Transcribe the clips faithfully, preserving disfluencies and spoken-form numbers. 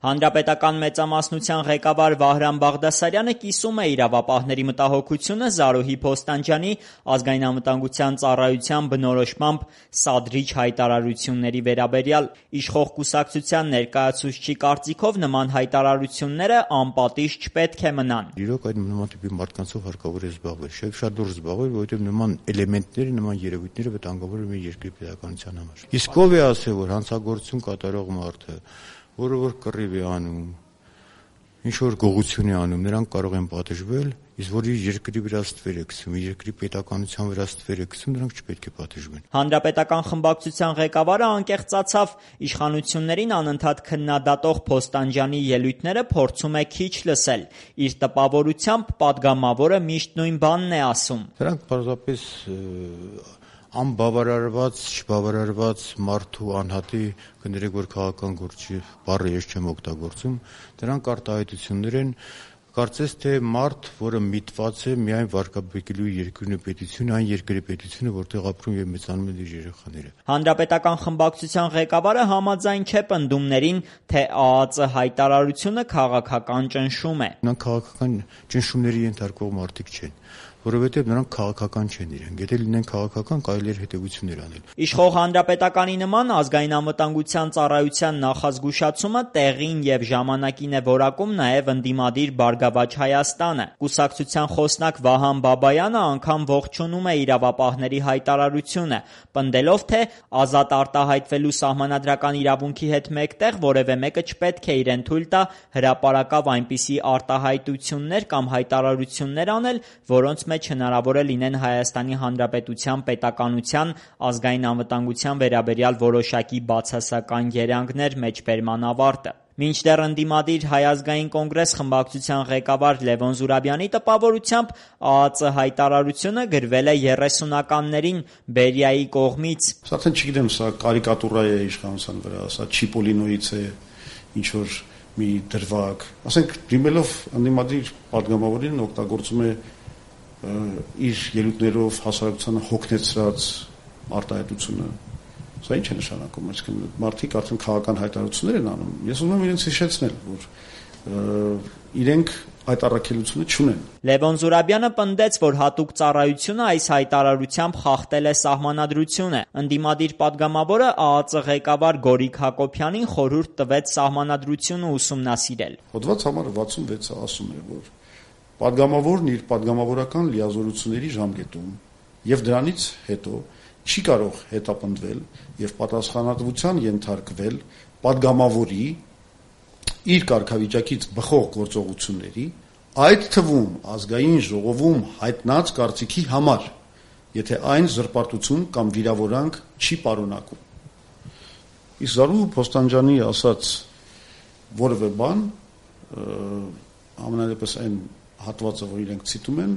Հանրապետական մեծամասնության ղեկավար Վահրամ Բաղդասարյանը կիսում է իրավապահների մտահոգությունը Զարուհի Փոստանջյանի ազգային անվտանգության ծառայության բնորոշմամբ սադրիչ հայտարարությունների վերաբերյալ։ Իշխող կուսակցության ներկայացուցչի կարծիքով նման հայտարարությունները անպատիժ չպետք է մնան։ Իրոք այդ նման տիպի մարդկանցով հարկավոր է զբաղվել, շետ շատ դուրս զբաղվել, որովհետև նման էլեմենտները, նման երևույթները վտանգավոր են մեր երկրի պետականության համար։ Իսկ ով է ասել, որ հանցագործություն կատարող մարդը, որը որ կռիվ է անում, ինչ որ գողություն է անում, նրանք կարող են պատժվել, իսկ որ իր երկրի վրա ստվեր է գցում, իր երկրի պետականության վրա ստվեր է գցում, նրանք չպետք է պատժվեն։ Հանրապետական խմբակցության ղեկավարը անկեղծացավ, իշխանություններին անընդհատ քննադատող Փոստանջյանի ելույթները փորձում է քիչ լսել։ Իր տպավորությամբ պատգամավորը միշտ նույն բանն է ասում։ Դրանք պարզապես անբավարարված, չբավարարված մարդու անհատի, կներեք, որ քաղաքական գործի բառը ես չեմ օգտագործում, դրանք արտահայտություններ են, կարծես թե մարդ, որը միտված է միայն վարկաբեկելու երկրի պետությունը, այն երկրի պետությունը, որտեղ ապրում եւ մեծանում են իր երեխաները։ Հանրապետական խմբակցության ղեկավարը համաձայն չէ պնդումներին, թե ԱԱԾ հայտարարությունը քաղաքական ճնշում է։ Նրանք քաղաքական ճնշումների ենթարկվող մարդիկ չեն, որովհետև նրանք քաղաքական չեն իրենք, եթե լինեն քաղաքական, կարելի էր հետևություններ անել։ Իշխող Հանրապետականի նման ազգային անվտանգության ծառայության նախազգուշացումը տեղին եւ ժամանակին է որակում նաեւ ընդդիմադիր Բարգավաճ Հայաստանը։ Կուսակցության խոսնակ Վահան Բաբայանը անգամ ողջունում է իրավապահների հայտարարությունը, պնդելով, թե ազատ արտահայտվելու սահմանադրական իրավունքի հետ մեկտեղ որևէ մեկը չպետք է իրեն թույլ տա հրապարակավ այնպիսի արտահայտություններ կամ հայտարարություններ անել, որոնց մեջ հնարավոր է լինեն Հայաստանի Հանրապետության պետականության, ազգային անվտանգության վերաբերյալ որոշակի բացասական երանգներ, մեջբերման ավարտը։ Մինչդեռ ընդդիմադիր Հայ ազգային կոնգրես խմբակցության ղեկավար Լևոն Զուրաբյանի տպավորությամբ ԱԱԾ հայտարարությունը գրվել է երեսունականներին Բերիայի կողմից։ Սա արդեն չգիտեմ, սա կարիկատուրա է իշխանության վրա, սա Չիպոլինոից է ինչ որ մի դրվագ։ Ասենք դիմելով ընդդիմադիր պատգամավորին օգտագործում է իր ելույթներով հասարակությանը հոգնեցրած արտահայտությունը։ Սա ինչ է նշանակում, այսինքն մարդիկ արդեն քաղաքական հայտարարություններ են անում։ Ես ուզում եմ իրենց հիշեցնել, որ իրենք այդ առաքելությունը չունեն։ Լևոն Զուրաբյանը պնդեց, որ հատուկ ծառայությունը այս հայտարարությամբ խախտել է սահմանադրությունը։ Ընդդիմադիր պատգամավորը ԱԱԾ ղեկավար Գորիկ Հակոբյանին խորհուրդ տվեց սահմանադրությունը ուսումնասիրել։ Հոդված համար վաթսունվեցը ասում է, որ պատգամավորն իր պատգամավորական լիազորությունների ժամկետում եւ դրանից հետո չի կարող հետապնդվել եւ պատասխանատվության ենթարկվել պատգամավորի իր կարգավիճակից բխող գործողությունների, այդ թվում ազգային ժողովում հայտնած կարծիքի համար, եթե այն զրպարտություն կամ վիրավորանք չի պարունակում։ Իսկ Զարուհի Փոստանջյանի ասած որևէ բան, ամենայնպես այն հատվածը, որ իրենք ցիտում են,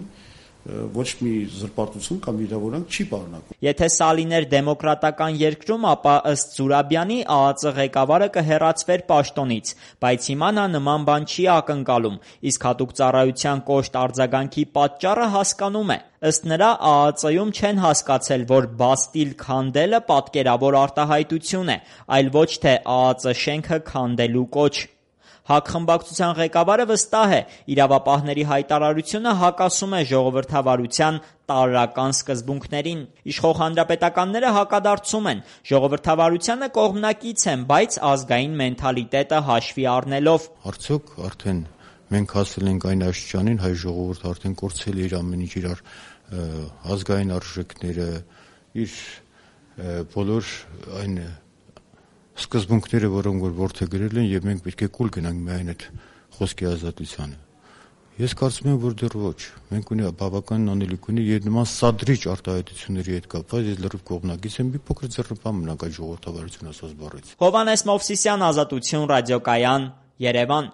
ոչ մի զրպարտություն կամ վիրավորանք չի պարունակում։ Եթե սա լիներ դեմոկրատական երկրում, ապա ըստ Զուրաբյանի ԱԱԾ ղեկավարը կհեռացվեր պաշտոնից, բայց հիմա նա նման բան չի ակնկալում, իսկ հատուկ ծառայության կոշտ արձագանքի պատճառը հասկանում է։ Ըստ նրա ԱԱԾ-ում չեն հասկացել, որ Բաստիլ քանդելը պատկերավոր արտահայտություն է, այլ ոչ թե ԱԱԾ շենքը քանդելու կոչ։ ՀԱԿ խմբակցության ղեկավարը վստահ է, իրավապահների հայտարարությունը հակասում է ժողովրդավարության տարրական սկզբունքներին։ Իշխող հանրապետականները հակադարձում են, ժողովրդավարությանը կողմնակից են, բայց ազգային մենթալիտետը հաշվի առնելով։ Արդյոք արդեն մենք հասել ենք այն աստիճանին, հայ ժողովուրդը արդեն կորցրել է իր ամեն ինչ, իր ազգային արժեքները, իր բոլոր այն սկզբունքները, որոնք որ որդեգրել են, եւ մենք պետք է կուլ գնանք միայն այդ խոսքի ազատությանը։ Ես կարծում եմ, որ դեռ ոչ։ Մենք ունի բավական անելիք ունի եւ նման սադրիչ արտահայտությունների հետ կապված ես լրիվ կողմնակից եմ, մի փոքր ձեռնպահ մնանք այդ ժողովրդավարություն ասած բառից։ Հովհաննես Մովսիսյան, Ազատություն, Ռադիոկայան, Երևան։